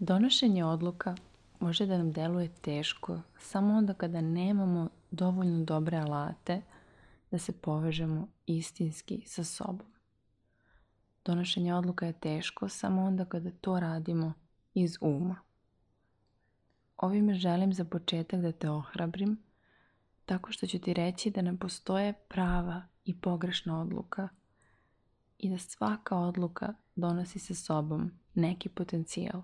Donošenje odluka može da nam deluje teško samo onda kada nemamo dovoljno dobre alate da se povežemo istinski sa sobom. Donošenje odluka je teško samo onda kada to radimo iz uma. Ovime želim za početak da te ohrabrim tako što ću ti reći da ne postoje prava i pogrešna odluka i da svaka odluka donosi sa sobom neki potencijal.